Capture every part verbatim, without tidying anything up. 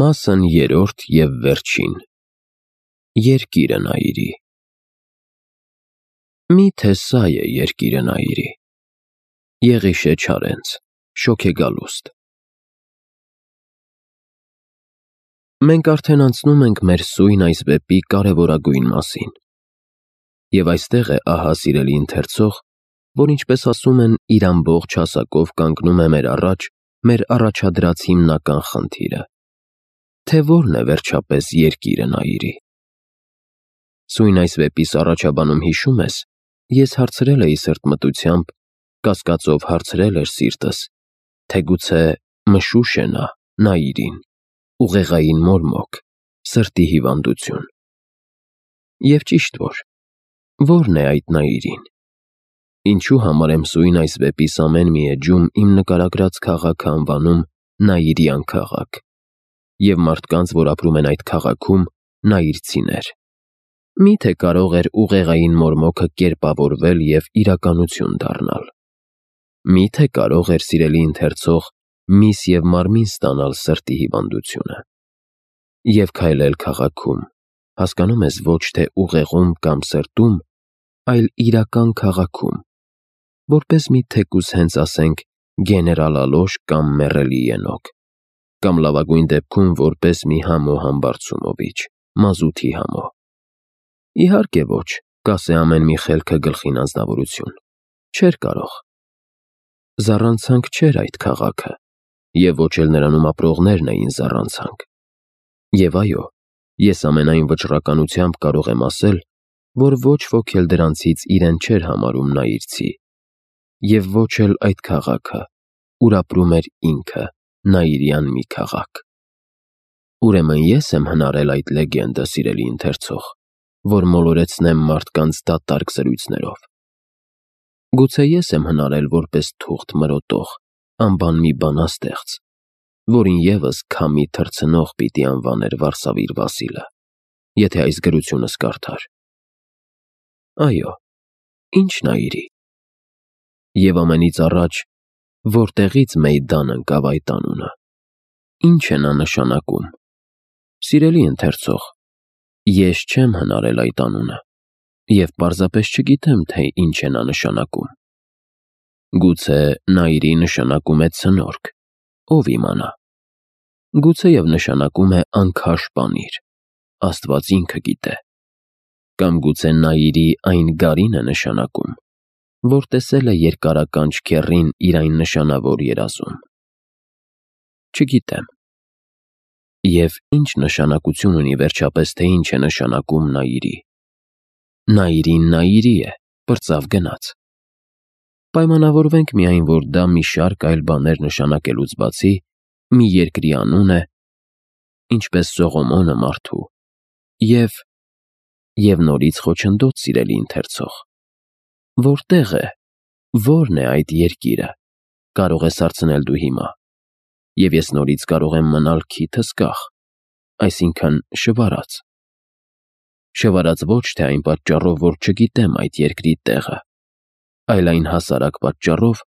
Մասն երրորդ և վերջին։ Երկիրը Նայիրի։ Մի՞թե սա է երկիրը Նայիրի։ Եղիշե Չարենց, Շոգեգալուստ։ Մենք արդեն անցնում ենք մեր սույն այս վեպի կարևորագույն մասին։ Եվ այստեղ է ահա սիրելի ընթերցող, որ ինչպես ասում են, իր ամբողջ հասակով կանգնում է մեր առաջ մեր առաջադրած հիմնական խնդիրը, թե որն է վերջապես երկիրը Նայիրի։ Սույն այս վեպիս առաջաբանում հիշում ես, ես հարցրել էի սրտմտությամբ, կասկածով հարցրել էր սիրտս, թե գուցե մշուշ է նա Նայիրին, ուղեղային մորմոք, սրտի հիվանդություն։ Եվ ճիշտ որ, ո՞րն է այդ Նայիրին։ Ինչու համար եմ սույն այս վեպիս ամեն մի էջում իմ նկարագրած քաղաքը անվանում Նայիրյան քաղաք, և մարդկանց, որ ապրում են այդ քաղաքում, նայիրցիներ։ Մի՞թե կարող էր ուղեղային մորմոքը կերպավորվել և իրականություն դառնալ։ Մի՞թե կարող էր սիրելի ընթերցող միս և մարմին ստանալ սրտի հիվանդությունը։ Եվ քայլել քաղաքում, հասկանում ես, ոչ թե ուղեղում կամ սրտում, այլ իրական քաղաքում, որպես մի թեկուզ հենց ասենք գեներալ Ալոշ կամ մեռելի ենոք, կամ լավագույն դեպքում որպես մի համո Համբարձումովիչ, մազութի համո։ Իհարկե ոչ, կասե ամեն մի խելքը գլխին անձնավորություն։ Չէր կարող։ Զառանցանք չէր այդ քաղաքը, և ոչ էլ նրանում ապրողներն էին զառանցանք։ Եվ այո, ես ամենայն վճռականությամբ կարող եմ ասել, որ ոչ ոք էլ դրանցից իրեն չէր համարում նայիրցի, և ոչ էլ այդ քաղաքը, ուր ապրում էր ինքը, Նայիրյան մի քաղաք։ Ուրեմն ես եմ հնարել այդ լեգենդը, սիրելի ընթերցող, որ մոլորեցնեմ մարդկանց դատարկ զրույցներով։ Գուցե ես եմ հնարել որպես թուղթ մրոտող, անբան մի բանաստեղծ, որին ևս քամի թռցնող պիտի անվաներ Վարսավիր Վասիլը, եթե այս գրությունս կարդար։ Այո, ի՞նչ Նայիրի։ Եվ ամենից առաջ, որտեղի՞ց Մեյդան ընկավ այդ անունը։ Ի՞նչ է նա նշանակում։ Սիրելի ընթերցող, ես չեմ հնարել այդ անունը, և պարզապես չգիտեմ, թե ինչ է նա նշանակում։ Գուցե Նայիրի նշանակում է ցնորք, ով իմանա։ Գուցեև նշանակում է անքաշ պանիր, Աստված ինքը գիտե։ Կամ գուցե Նայիրի այն գարին է նշանակում, որ տեսել է երկարականջ քեռին իր այն նշանավոր երազում։ Չգիտեմ։ Եվ ի՞նչ նշանակություն ունի վերջապես, թե ինչ է նշանակում Նայիրի։ Նայիրին Նայիրի է, պրծավ գնաց։ Պայմանավորվենք միայն, որ դա մի շարք այլ բաներ նշանակելուց բացի, մի երկրի անուն է, ինչպես Սողոմոնը մարդու, և… և նորից խոչընդոտ, սիրելի ընթերցող։ Որտե՞ղ է, ո՞րն է այդ երկիրը, կարող ես հարցնել դու հիմա, և ես նորից կարող եմ մնալ քիթ հսկախ, այսինքն շվարած։ Շվարած ոչ թե այն պատճառով, որ չգիտեմ այդ երկրի տեղը, այլ այն հասարակ պատճառով,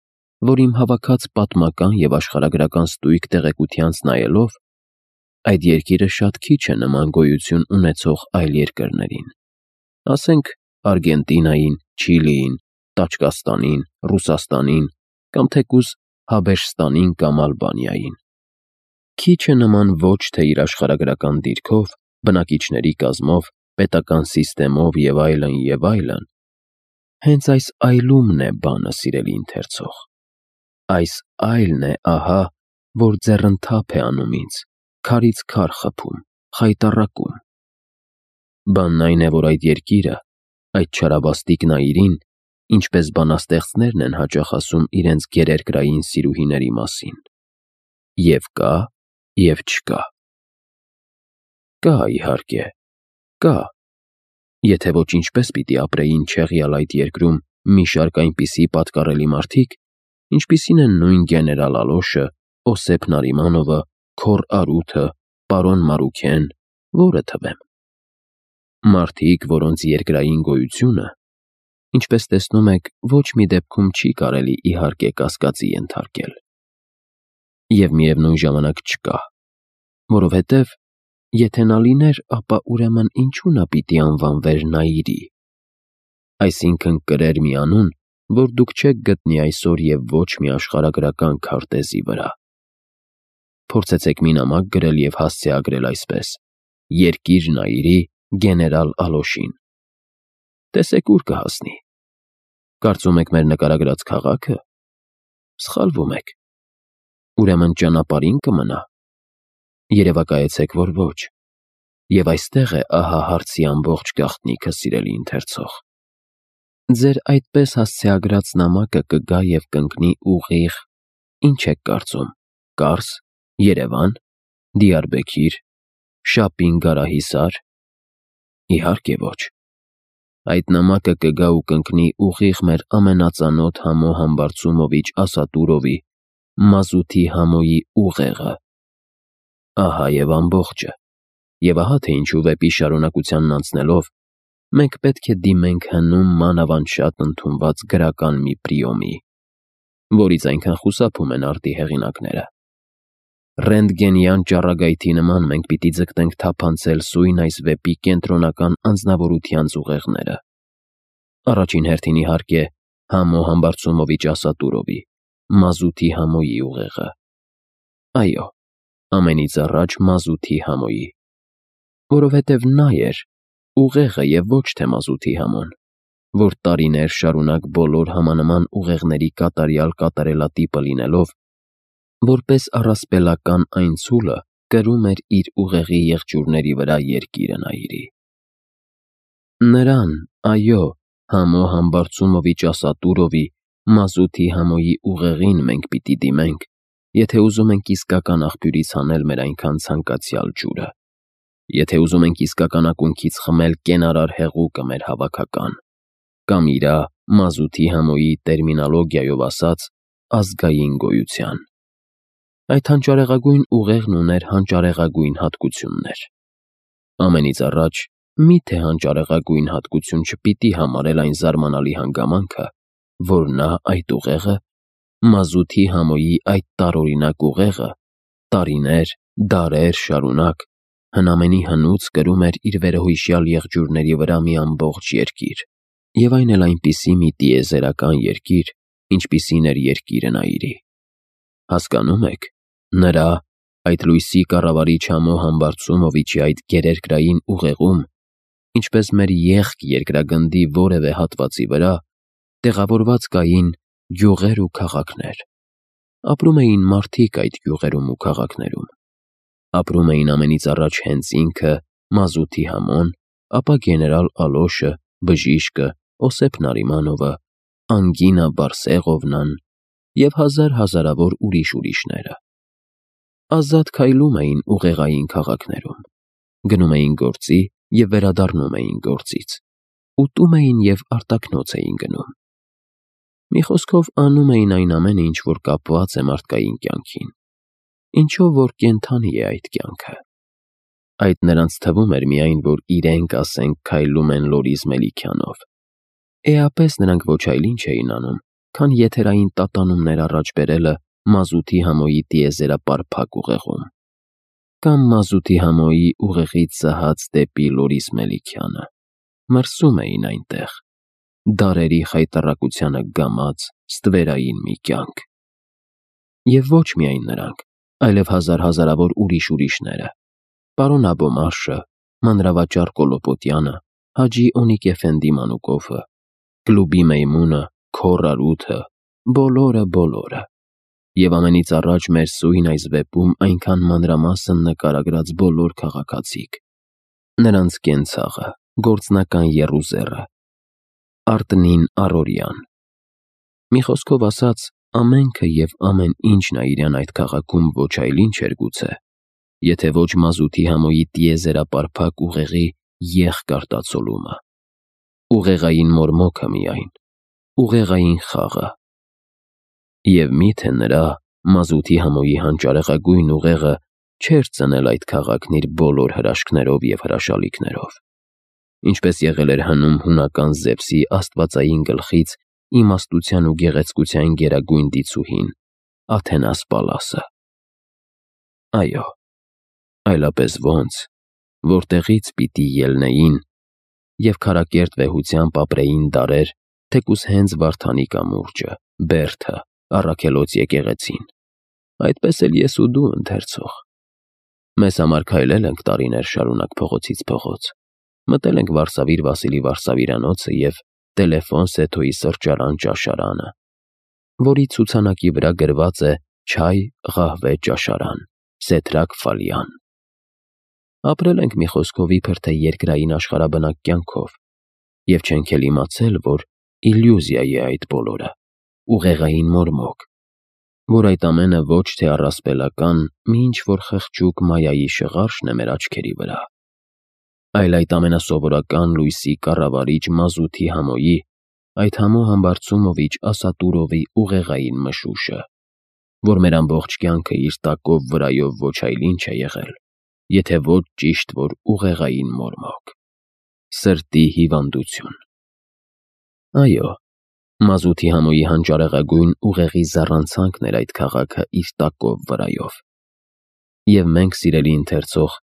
որ իմ հավաքած պատմական և աշխարհագրական ստույգ տեղեկությանց նայելով, այդ երկիրը շատ քիչ է նման գոյություն ունեցող այլ երկրներին, ասենք Արգենտինային, Չիլիին, Տաջկաստանին, Ռուսաստանին կամ թեկուզ Հաբեշստանին կամ Ալբանիային։ Քիչ է նման ոչ թե իր աշխարհագրական դիրքով, բնակիչների կազմով, պետական սիստեմով և այլն, և այլն։ Հենց այս այլումն է բանը, սիրելի ընթերցող։ Այս այլն է ահա, որ ձեռնթափ է անում ինձ, քարից քար խփում, խայտառակում։ Բանն այն է, որ այդ երկիրը, այդ չարաբաստիկ Նայիրին, ինչպես բանաստեղծներն են հաճախ ասում իրենց գերերկրային սիրուհիների մասին, և կա, և չկա։ Կա, իհարկե, կա։ Եթե ոչ, ինչպես պիտի ապրեին չեղյալ այդ երկրում մի շարք այնպիսի պատկառելի մարդիկ, ինչպիսին են նույն գեներալ Ալոշը, Օսեփ Նարիմանովը, Քոռ Արութը, պարոն Մարուքեն, որը թվեմ։ Մարդիկ, որոնց երկրային գոյությունը, ինչպես տեսնում եք, ոչ մի դեպքում չի կարելի իհարկե կասկածի ենթարկել։ Եվ միևնույն ժամանակ չկա, որովհետև եթե նա լիներ, ապա ուրեմն ինչու նա պիտի անվանվեր Նաիրի։ Այսինքն կրեր մի անուն, որ դուք չեք գտնի այսօր և ոչ մի աշխարհագրական քարտեզի վրա։ Փորձեցեք մի նամակ գրել և հասցեագրել այսպես. Երկիր Նաիրի գեներալ Ալոշին։ Տեսեք ուր կհասնի։ Կարծում եք մեր նկարագրած քաղաքը։ Սխալվում եք։ Ուրեմն ճանապարհին կմնա։ Երևակայեցեք, որ ոչ։ Եվ այստեղ է ահա հարցի ամբողջ գաղտնիքը, սիրելի ընթերցող։ Ձեր այդպես հասցեագրած նամակը կգա և կընկնի ուղիղ, ինչ եք կարծում, Կարս, Երևան, Դիարբեքիր, Շապին Գարահիսար։ Իհարկե ոչ։ Այդ նամակը կգա ու կընկնի ուղիղ մեր ամենածանոթ Համո Համբարձումովիչ Ասատուրովի մազութի Համոյի ուղեղը։ Ահա և ամբողջը։ Եվ ահա թե ինչու վեպի շարունակությանն անցնելով մենք պետք է դիմենք հնում մանավանդ ընդունված գրական մի պրիոմի, որից այնքան խուսափում են արտի հեղինակները։ Ռենտգենյան ճառագայթի նման մենք պիտի ձգտենք թափանցել սույն այս վեպի կենտրոնական անձնավորությանց ուղեղները։ Առաջին հերթին իհարկե Համո Համբարձումովիչ Ասատուրովի մազութի Համոյի ուղեղը։ Այո, ամենից առաջ մազութի Համոյի, որովհետև նա էր ուղեղը և ոչ թե մազութի Համոն, որ տարիներ շարունակ բոլոր համանման ուղեղների կատարյալ կատարելատիպը լինելով, որպես առասպելական այն ցուլը կրում էր իր ուղեղի եղջյուրների վրա երկիրը Նաիրի։ Նրան, այո, Համո Համբարձումովիչ Ասատուրովի մազութի Համոյի ուղեղին մենք պիտի դիմենք, եթե ուզում ենք իսկական աղբյուրից հանել մեր այնքան ցանկացյալ ջուրը, եթե ուզում ենք իսկական ակունքից խմել կենարար հեղուկը մեր հավաքական, կամ իրա մազութի Համոյի տերմինոլոգիայով ասած ազգային գոյության։ Այդ հանճարեղագույն ուղեղն ուներ հանճարեղագույն հատկություններ։ Ամենից առաջ, մի՞թե հանճարեղագույն հատկություն չպիտի համարել այն զարմանալի հանգամանքը, որ նա այդ ուղեղը, մազութի Համոյի այդ տարօրինակ ուղեղը, տարիներ, դարեր շարունակ հնամենի հնուց կրում էր իր վերոհիշյալ եղջյուրների վրա մի ամբողջ երկիր, և այն էլ այնպիսի մի տիեզերական երկիր, ինչպիսին էր երկիրը Նաիրի։ Հասկանում եք, նրա, այդ լույսի կառավարիչ Համո Համբարձումովիչի այդ գերերկրային ուղեղում, ինչպես մեր եղք երկրագնդի որևէ հատվածի վրա, տեղավորված կային գյուղեր ու քաղաքներ։ Ապրում էին մարդիկ այդ գյուղերում ու քաղաքներում։ Ապրում էին ամենից առաջ հենց ինքը, մազութի Համոն, ապա գեներալ Ալոշը, բժիշկը, Օսեփ Նարիմանովը, Անգինա Բարսեղովնան և հազար հազարավոր ուրիշ-ուրիշները։ Ազատ քայլում էին ուղեղային քաղաքներում, գնում էին գործի և վերադառնում էին գործից, ուտում էին և արտաքնոց էին գնում։ Մի խոսքով անում էին այն ամենը, ինչ որ կապված է մարդկային կյանքին, ինչով որ կենդանի է այդ կյանքը։ Այդ նրանց թվում էր միայն, որ իրենք, ասենք, քայլում են Լորիզ Մելիքյանով։ Էապես նրանք ոչ այլ ինչ էին անում, քան եթերային տատանումներ առաջ բերելը մազութի Համոյի տիեզերապարփակ ուղեղում, կամ մազութի Համոյի ուղեղից սահած դեպի Լորիզ Մելիքյանը, մրսում էին այնտեղ, դարերի խայտառակությանը գամած ստվերային մի կյանք։ Եվ ոչ միայն նրանք, այլև հազար հազարավոր ուրիշ-ուրիշները, պարոն Աբոմարշը, մանրավաճառ Կոլոպոտյանը, Հաջի Օնիկ Էֆենդի Մանուկովը, Կլուբի Մեյմունը, Քոռ Արութը, բոլորը, բոլորը։ Եվ ամենից առաջ մեր սույն այս վեպում այնքան մանրամասն նկարագրած բոլոր քաղաքացիք, նրանց կենցաղը, գործնական եռուզեռը, Արտնին առօրյան։ Մի խոսքով ասած, ամենքը և ամեն ինչ Նաիրյան այդ քաղաքում ոչ այլ ինչ էր գուցե, եթե ոչ մազութի Համոյի տիեզերապարփակ ուղեղի եղք-արտացոլումը, ուղեղային մորմոքը միայն, ուղեղային խաղը։ Եվ մի՞թե նրա, մազութի Համոյի հանճարեղագույն ուղեղը չէր ծնել այդ քաղաքն իր բոլոր հրաշքներով և հրաշալիքներով, ինչպես եղել էր հնում հունական Զևսի աստվածային գլխից իմաստության ու գեղեցկության գերագույն դիցուհին՝ Աթենաս Պալասը։ Այո, այլապես ոնց, որտեղից պիտի ելնեին և քարակերտ վեհությամբ ապրեին դարեր, թեկուզ հենց Վարդանի կամուրջը, Բերդը, առաքելոց եկեղեցին, այդպես էլ ես ու դու ընթերցող։ Մեզ համար քայլել ենք տարիներ շարունակ փողոցից փողոց, մտել ենք Վարսավիր Վասիլի վարսավիրանոցը և Տելեֆոն Սեթոյի սրճարան-ճաշարանը, որի ցուցանակի վրա գրված է «Չայ ղահվե ճաշարան, Սեթրակ Ֆալյան»։ Ապրել ենք մի խոսքով իբր թե երկրային աշխարհաբնակ կյանքով և չենք էլ իմացել, որ իլյուզիա է այդ բոլորը, ուղեղային մորմոք, որ այդ ամենը ոչ թե առասպելական մի ինչ-որ խղճուկ մայայի շղարշն է մեր աչքերի վրա, այլ այդ ամենասովորական լույսի կառավարիչ մազութի համոյի, այդ համո համբարձումովիչ Ասատուրովի ուղեղային մշուշը, որ մեր ամբողջ կյանքը իր տակով վրայով ոչ այլ ինչ է եղել, եթե ոչ ճիշտ որ ուղեղային մորմոք, սրտի հիվանդություն։ Այո, մազութի համոյի հանճարեղագույն ուղեղի զառանցանքն էր այդ քաղաքը իր տակով վրայով։ Եվ մենք, սիրելի ընթերցող,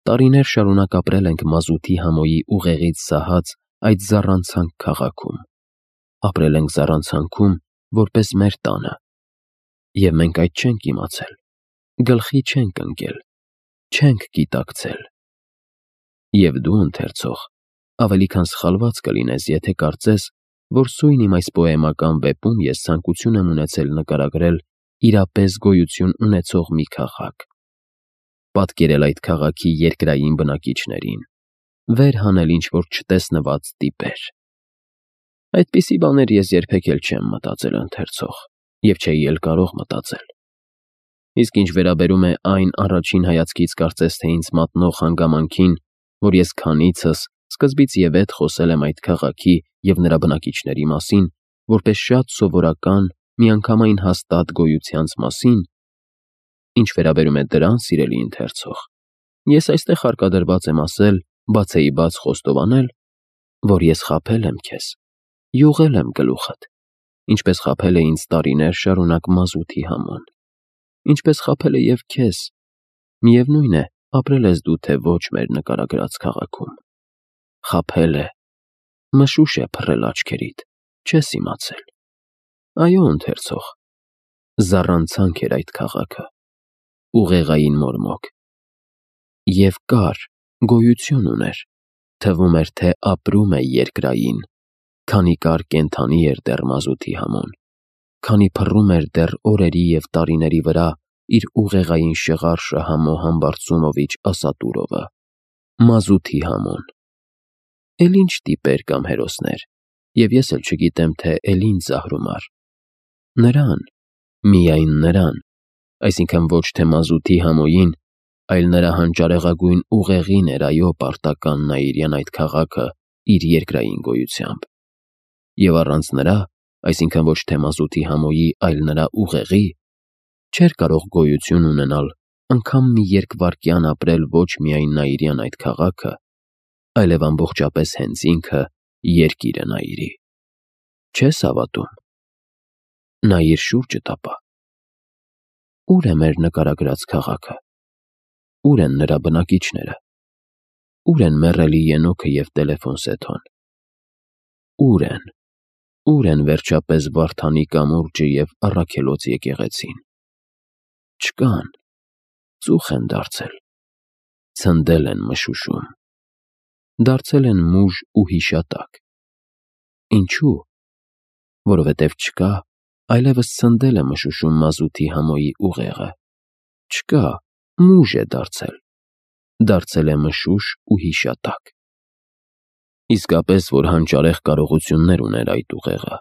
տարիներ շարունակ ապրել ենք մազութի համոյի ուղեղից սահած այդ զառանցանք քաղաքում, ապրել ենք զառանցանքում, որպես մեր տանը, և մենք այդ չենք իմացել, գլխի չենք ընկել, չենք գիտակցել։ Եվ դու, ընթերցող, ավելի քան սխալված կլինես, եթե կարծես, որ սույն իմ այս պոեմական վեպում ես ցանկություն եմ ունեցել նկարագրել իրապես գոյություն ունեցող մի քաղաք, պատկերել այդ քաղաքի երկրային բնակիչներին, վեր հանել ինչ-որ չտեսնված տիպեր։ Այդպիսի բաներ ես երբեք էլ չեմ մտածել, ընթերցող, և չէի էլ կարող մտածել։ Իսկ ինչ վերաբերում է այն առաջին հայացքից կարծես թե ինձ մատնող հանգամանքին, որ ես քանիցս սկզբից և ետ խոսել եմ այդ քաղաքի և նրա բնակիչների մասին, որպես շատ սովորական, միանգամայն հաստատ գոյությանց մասին, ինչ վերաբերում է դրան, սիրելի ընթերցող, ես այստեղ հարկադրված եմ ասել, բաց էի բաց խոստովանել, որ ես խաբել եմ քեզ, յուղել եմ գլուխդ, ինչպես խաբել է ինձ տարիներ շարունակ մազութի համոն, ինչպես խաբել է և քեզ, միևնույն է, ապրել ես դու թե ոչ մեր նկարագրած քաղաքում, խաբել է, մշուշ է փռել աչքերիդ, չես իմացել։ Այո, ընթերցող, զառանցանք էր այդ քաղաքը, ուղեղային մորմոք, և կար, գոյություն ուներ, թվում էր, թե ապրում է երկրային, քանի կար կենդանի էր դեռ մազութի համոն, քանի փռում էր դեռ օրերի և տարիների վրա իր ուղեղային շղարշը համո համբարձումովիչ Ասատուրովը, մազութի համոն։ Էլ ինչ տիպեր կամ հերոսներ, և ես էլ չգիտեմ, թե էլ ինչ զահրումար։ Նրան, միայն նրան, այսինքն ոչ թե մազութի համոյին, այլ նրա հանճարեղագույն ուղեղին էր այո պարտական Նաիրյան այդ քաղաքը իր երկրային գոյությամբ։ Եվ առանց նրա, այսինքն ոչ թե մազութի համոյի, այլ նրա ուղեղի, չէր կարող գոյություն ունենալ, անգամ մի երկվայրկյան ապրել ոչ միայն Նաիրյան այդ քաղաքը, այլև ամբողջապես հենց ինքը երկիրը Նաիրի։ Չես հավատում։ Նայիր շուրջդ ապա։ Ո՞ւր է մեր նկարագրած քաղաքը։ Ո՞ւր են նրա բնակիչները։ Ո՞ւր են մեռելի Ենոքը և Տելեֆոն Սեթոն։ Ո՞ւր են։ Ո՞ւր են վերջապես Վարդանի կամուրջը և առաքելոց եկեղեցին։ Չկան, ծուխ են դարձել, ցնդել են մշուշում, դարձել են մուժ ու հիշատակ։ Ինչու՞։ Որովհետև չկա, այլևս ցնդել է մշուշում մազութի համոյի ուղեղը, չկա, մուժ է դարձել, դարձել է մշուշ ու հիշատակ։ Իսկապես, որ հանճարեղ կարողություններ ուներ այդ ուղեղը,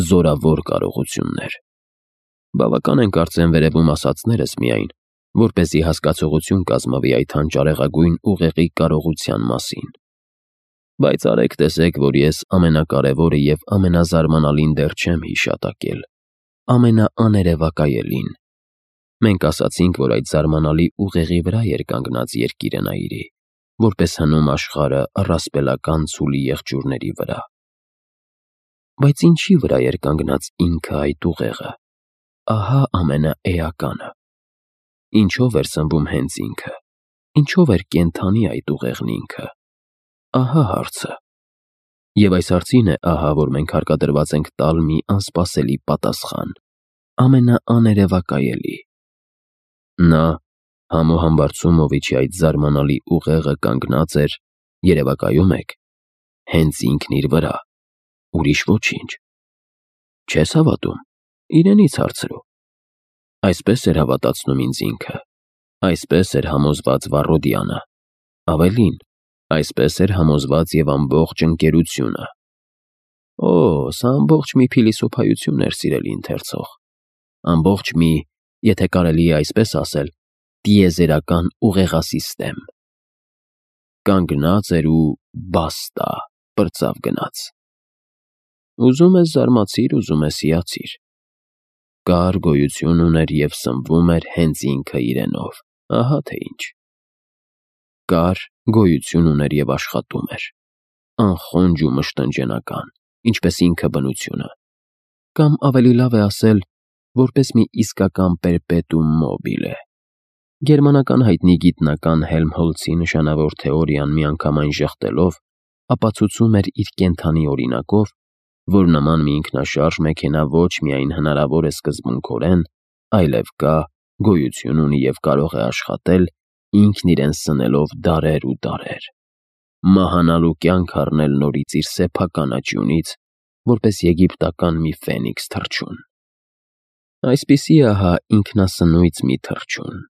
զորավոր կարողություններ։ Բավական են կարծեմ վերևում ասածներս միայն, որպեսզի հասկացողություն կազմվի այդ հանճարեղագույն ուղեղի կարողության մասին։ Բայց արեք տեսեք, որ ես ամենակարևորը և ամենազարմանալին դեռ չեմ հիշատակել, ամենաաներևակայելին։ Մենք ասացինք, որ այդ զարմանալի ուղեղի վրա էր կանգնած երկիրը Նաիրի, որպես հնում աշխարհը առասպելական ցուլի եղջյուրների վրա։ Բայց ինչի վրա էր կանգնած ինքը այդ ուղեղը, ահա ամենաէականը։ Ինչով էր սնվում հենց ինքը, ինչով էր կենդանի այդ ուղեղն ինքը։ Ահա հարցը։ Եվ այս հարցին է ահա, որ մենք հարկադրված ենք տալ մի անսպասելի պատասխան, ամենաաներևակայելի։ Նա Համո Համբարձումովիչի այդ զարմանալի ուղեղը կանգնած էր, երևակայում եք, հենց ինքն իր վրա, ուրիշ ոչինչ։ Չես հավատում, իրենից հարցրու։ Այսպես էր հավատացնում ինձ ինքը, այսպես էր համոզված Վառոդյանը, ավելին, այսպես էր համոզված և ամբողջ ընկերությունը։ Օ, սա ամբողջ մի փիլիսոփայություն էր, սիրելի ընթերցող, ամբողջ մի, եթե կարելի է այսպես ասել, տիեզերական ուղեղասիստեմ։ Կանգնած էր ու բաստա, պրծավ գնաց։ Ուզում ես զարմացիր, ուզում ես հիացիր։ Կար, գոյություն ուներ և սնվում էր հենց ինքը իրենով, ահա թե ինչ։ Կար, գոյություն ուներ և աշխատում էր, անխոնջ ու մշտնջենական, ինչպես ինքը բնությունը, կամ ավելի լավ է ասել, որպես մի իսկական պերպետուում մոբիլե։ Գերմանական հայտնի գիտնական Հելմհոլցի նշանավոր թեորիան միանգամայն ժխտելով, ապացուցում էր իր կենդանի օրինակով, որ նման մի ինքնաշարժ մեքենա ոչ միայն հնարավոր է սկզբունքորեն, այլև կա, գոյություն ունի և կարող է աշխատել, ինքն իրեն սնելով դարեր ու դարեր, մահանալու կյանք առնել նորից իր սեփական աճյունից, որպես եգիպտական մի ֆենիքս թռչուն։ Այսպիսի ահա ինքնասնույց մի թռչուն։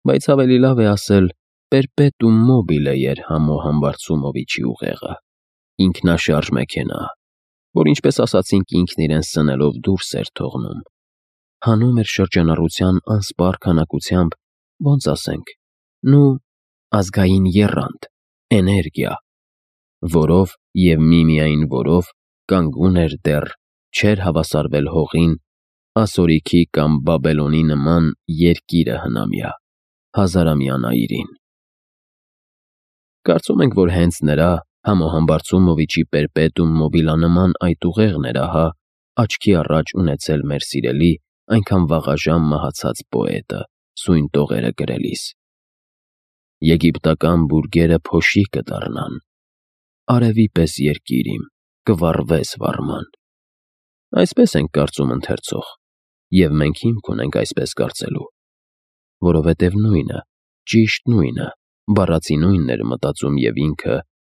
Բայց ավելի լավ է ասել պերպետուում մոբիլե էր Համո Համբարձումովիչի ուղեղը, ինքնաշարժ մեքենա, որ ինչպես ասացինք ինքն իրեն սնելով դուրս էր թողնում, հանում էր շրջանառության անսպառ քանակությամբ, ոնց ասենք, նու ազգային եռանդ, էներգիա, որով և միմիայն որով կանգուն էր դեռ, չէր հավասարվել հողին, ասորիքի կամ Բաբելոնի նման երկիրը հնամյա, հազարամյա նայիրին։ Կարծում ենք, որ հենց նրա Համո Համբարձումովիչի պերպետուում մոբիլանման այդ ուղեղն էր ահա աչքի առաջ ունեցել մեր սիրելի, այնքան վաղաժամ մահացած պոետը, սույն տողերը գրելիս. Եգիպտական բուրգերը փոշի կդառնան, արևի պես երկիր իմ, կվառվես վառման։ Այսպես ենք կարծում ընթերցող, և մենք հիմք ունենք այսպես կարծելու, որովհետև նույնը, ճիշտ նույնը, բառացի նույնն էր մտածում և ինքը,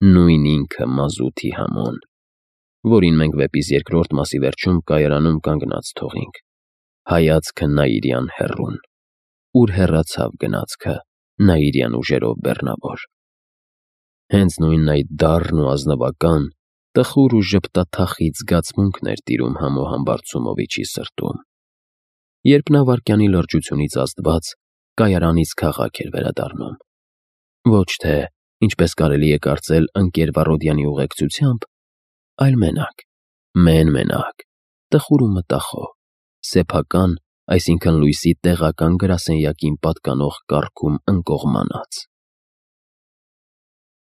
նույն ինքը մազութի Համոն, որին մենք վեպիս երկրորդ մասի վերջում կայարանում կանգնած թողինք, հայացքը նայիրյան հեռուն, ուր հեռացավ գնացքը նայիրյան ուժերով բեռնավոր։ Հենց նույն այդ դառն ու ազնվական, տխուր ու ժպտաթախիծ զգացմունքն էր տիրում Համո Համբարձումովիչի սրտում, երբ նա վայրկյանի լրջությունից ազդված կայարանից քաղաք էր վերադառնում, ոչ թե, ինչպես կարելի է կարծել ընկեր Վառոդյանի ուղեկցությամբ, այլ մենակ, մեն-մենակ, տխուր ու մտախոհ, սեփական, այսինքն լույսի տեղական գրասենյակին պատկանող կառքում ընկողմանած։